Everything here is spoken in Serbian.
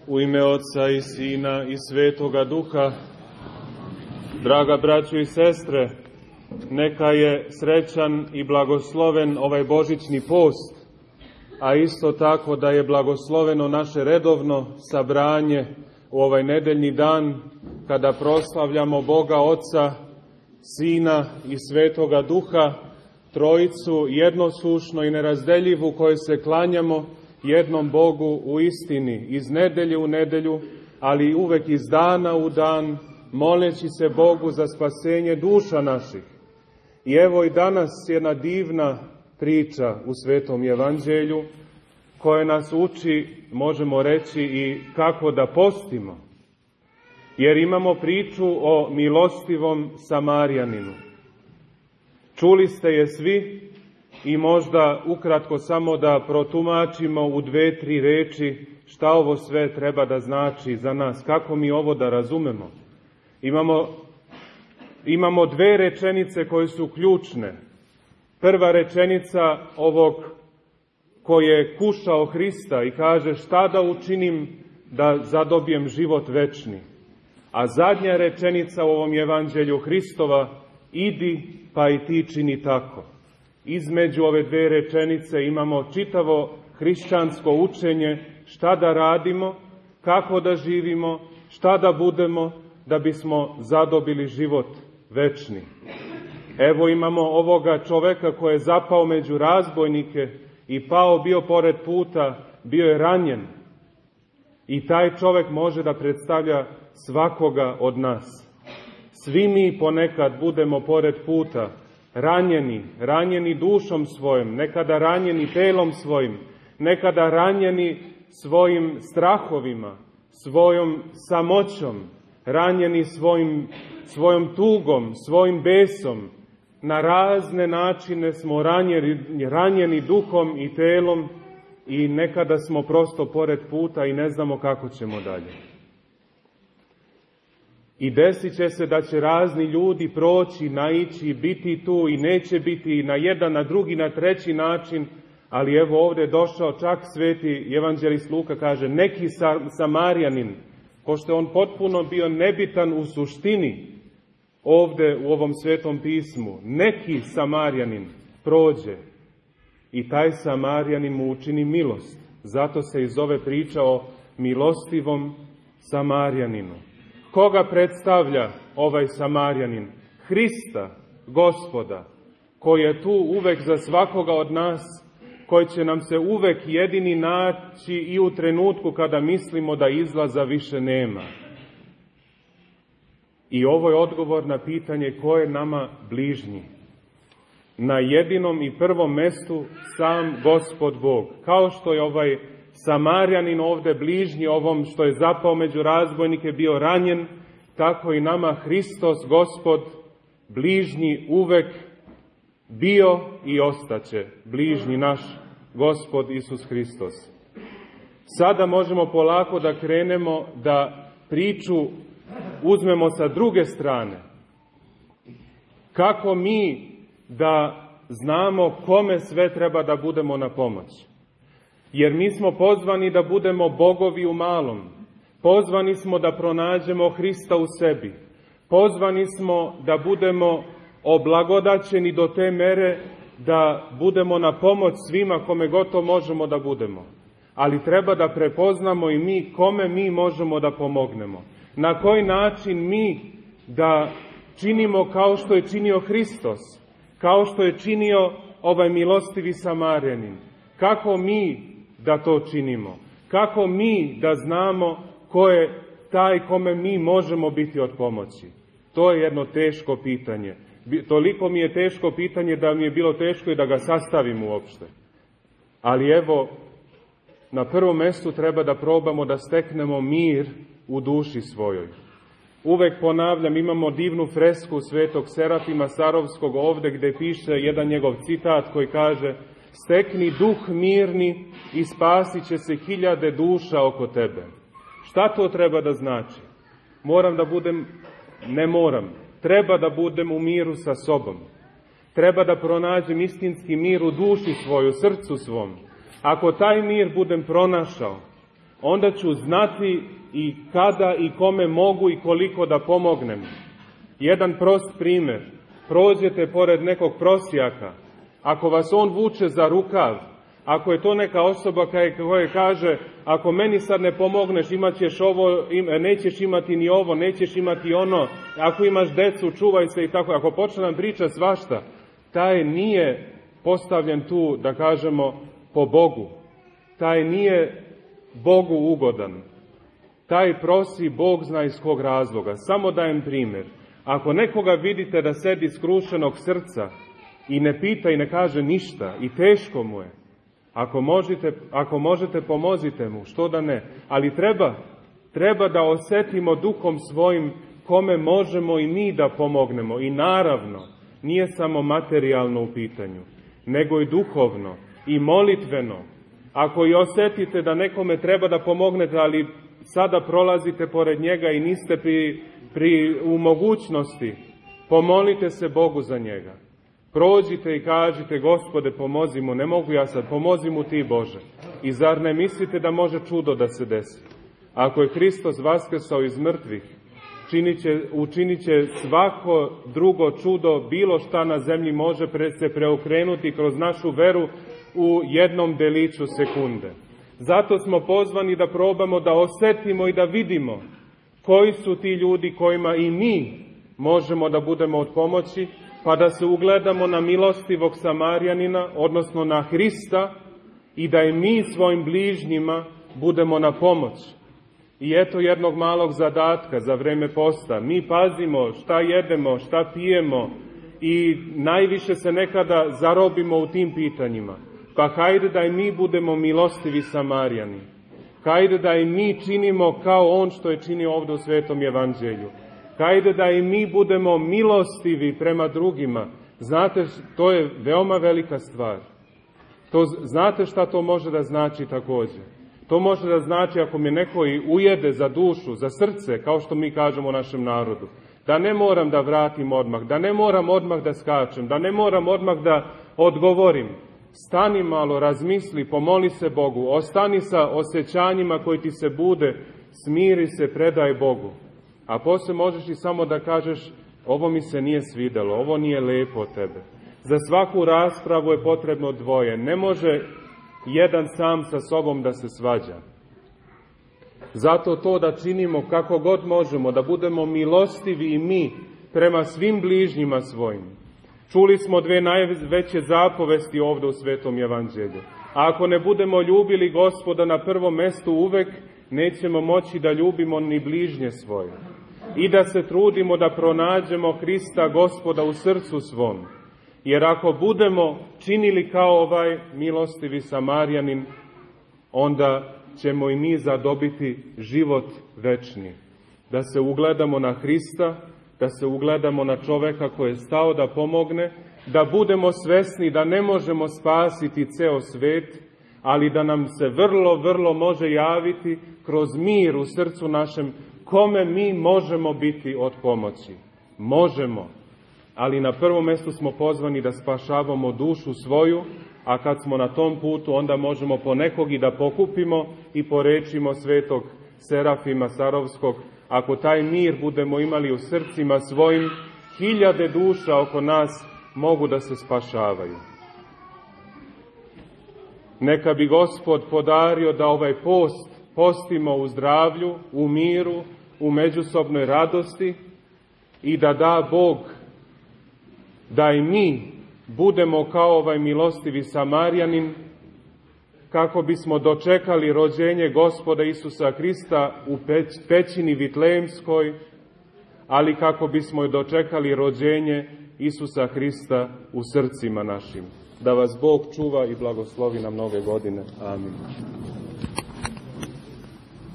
U ime Otca i Sina i Svetoga Duha. Draga braćo i sestre, neka je srećan i blagosloven ovaj božićni post, a isto tako da je blagosloveno naše redovno sabranje u ovaj nedeljni dan kada proslavljamo Boga Oca, Sina i Svetoga Duha, Trojicu jednosušno i nerazdeljivu kojoj se klanjamo jednom Bogu u istini, iz nedelje u nedelju, ali uvek iz dana u dan, moleći se Bogu za spasenje duša naših. I evo i danas jedna divna priča u Svetom Evanđelju koja nas uči, možemo reći, i kako da postimo. Jer imamo priču o milostivom Samarjaninu. Čuli ste je svi i možda ukratko samo da protumačimo u 2-3 reči šta ovo sve treba da znači za nas, kako mi ovo da razumemo. Imamo 2 rečenice koje su ključne. Prva rečenica ovog koji je kušao Hrista i kaže šta da učinim da zadobijem život večni. A zadnja rečenica u ovom Evanđelju Hristova, idi pa i ti čini tako. Između ove 2 rečenice imamo čitavo hrišćansko učenje šta da radimo, kako da živimo, šta da budemo da bismo zadobili život večni. Evo imamo ovoga čoveka koji je zapao među razbojnike i pao bio pored puta, bio je ranjen. I taj čovek može da predstavlja svakoga od nas. Svi mi ponekad budemo pored puta, ranjeni dušom svojim, nekada ranjeni telom svojim, nekada ranjeni svojim strahovima, svojom samoćom, ranjeni svojom tugom, svojim besom. Na razne načine smo ranjeni duhom i telom i nekada smo prosto pored puta i ne znamo kako ćemo dalje. I desit će se da će razni ljudi proći, naići, biti tu i neće biti na jedan, na drugi, na treći način, ali evo ovdje je došao čak sveti evanđelist Luka, kaže neki Samarjanin, pošto je on potpuno bio nebitan u suštini ovdje u ovom svetom pismu, neki Samarjanin prođe i taj Samarjanin mu učini milost. Zato se i zove priča o milostivom Samarjaninu. Koga predstavlja ovaj Samarjanin? Hrista, Gospoda, koji je tu uvek za svakoga od nas, koji će nam se uvek jedini naći i u trenutku kada mislimo da izlaza više nema. I ovo je odgovor na pitanje ko je nama bližnji. Na jedinom i prvom mestu sam Gospod Bog. Kao što je ovaj Samarjanin ovde bližnji ovom što je zapao među razbojnike bio ranjen, tako i nama Hristos Gospod bližnji uvek bio i ostaće bližnji naš Gospod Isus Hristos. Sada možemo polako da krenemo da priču uzmemo sa druge strane. Kako mi da znamo kome sve treba da budemo na pomoć? Jer mi smo pozvani da budemo bogovi u malom. Pozvani smo da pronađemo Hrista u sebi. Pozvani smo da budemo oblagodaćeni do te mere da budemo na pomoć svima kome god to možemo da budemo. Ali treba da prepoznamo i mi kome mi možemo da pomognemo. Na koji način mi da činimo kao što je činio Hristos, kao što je činio ovaj milostivi Samarjanin. Kako mi da to činimo? Kako mi da znamo ko je taj kome mi možemo biti od pomoći? To je jedno teško pitanje. Toliko mi je teško pitanje da mi je bilo teško i da ga sastavim uopšte. Ali evo, na prvom mestu treba da probamo da steknemo mir u duši svojoj. Uvek ponavljam, imamo divnu fresku svetog Serafima Sarovskog ovde gde piše jedan njegov citat koji kaže: stekni duh mirni i spasit će se 1000 duša oko tebe. Šta to treba da znači? Treba da budem u miru sa sobom. Treba da pronađem istinski mir u duši svojoj, u srcu svom. Ako taj mir budem pronašao, onda ću znati i kada i kome mogu i koliko da pomognem. Jedan prost primjer. Prođete pored nekog prosjaka. Ako vas on vuče za rukav, ako je to neka osoba koja kaže, ako meni sad ne pomogneš, imat ćeš ovo, nećeš imati ni ovo, nećeš imati ono, ako imaš decu, čuvaj se i tako. Ako počne nam priča svašta, taj nije postavljen tu, da kažemo, po Bogu. Taj nije Bogu ugodan. Taj prosi, Bog zna iz kog razloga. Samo dajem primjer. Ako nekoga vidite da sedi skrušenog srca i ne pita i ne kaže ništa i teško mu je, ako možete pomozite mu, što da ne. Ali treba da osjetimo duhom svojim kome možemo i mi da pomognemo. I naravno, nije samo materijalno u pitanju, nego i duhovno i molitveno. Ako i osjetite da nekome da pomognete, ali sada prolazite pored njega i niste u mogućnosti, pomolite se Bogu za njega. Prođite i kažite, Gospode, pomozi mu, ne mogu ja sad, pomozi mu ti, Bože. I zar ne mislite da može čudo da se desi? Ako je Hristos vaskrsao iz mrtvih, učinit će svako drugo čudo, bilo šta na zemlji može se preokrenuti kroz našu veru u jednom deliću sekunde. Zato smo pozvani da probamo da osjetimo i da vidimo koji su ti ljudi kojima i mi možemo da budemo od pomoći, pa da se ugledamo na milostivog Samarjanina, odnosno na Hrista, i da i mi svojim bližnjima budemo na pomoć. I eto jednog malog zadatka za vreme posta. Mi pazimo šta jedemo, šta pijemo i najviše se nekada zarobimo u tim pitanjima. Pa hajde da i mi budemo milostivi Samarjani. Hajde da i mi činimo kao on što je činio ovdje u Svetom Evanđelju. Hajde da i mi budemo milostivi prema drugima. Znate, to je veoma velika stvar. Znate šta to može da znači također? To može da znači ako me neko i ujede za dušu, za srce, kao što mi kažemo u našem narodu, da ne moram da vratim odmah, da ne moram odmah da skačem, da ne moram odmah da odgovorim. Stani malo, razmisli, pomoli se Bogu, ostani sa osjećanjima koji ti se bude, smiri se, predaj Bogu. A poslije možeš i samo da kažeš, ovo mi se nije svidelo, ovo nije lepo od tebe. Za svaku raspravu je potrebno dvoje. Ne može jedan sam sa sobom da se svađa. Zato to da činimo kako god možemo, da budemo milostivi i mi prema svim bližnjima svojim. Čuli smo dve najveće zapovesti ovdje u Svetom Evanđelju. A ako ne budemo ljubili Gospoda na prvom mjestu uvek, nećemo moći da ljubimo ni bližnje svoje. I da se trudimo da pronađemo Hrista Gospoda u srcu svom. Jer ako budemo činili kao ovaj milostivi Samarjanin, onda ćemo i mi zadobiti život večni. Da se ugledamo na Hrista, da se ugledamo na čoveka koji je stao da pomogne, da budemo svesni da ne možemo spasiti ceo svet, ali da nam se vrlo može javiti kroz mir u srcu našem, kome mi možemo biti od pomoći. Možemo, ali na prvom mjestu smo pozvani da spašavamo dušu svoju, a kad smo na tom putu, onda možemo ponekog i da pokupimo i po rečima svetog Serafima Sarovskog, ako taj mir budemo imali u srcima svojim, 1000 duša oko nas mogu da se spašavaju. Neka bi Gospod podario da ovaj post postimo u zdravlju, u miru, u međusobnoj radosti i da da Bog da i mi budemo kao ovaj milostivi Samarjanin, kako bismo dočekali rođenje Gospoda Isusa Hrista u pećini Vitlejemskoj, ali kako bismo i dočekali rođenje Isusa Hrista u srcima našim. Da vas Bog čuva i blagoslovi na mnoge godine. Amin.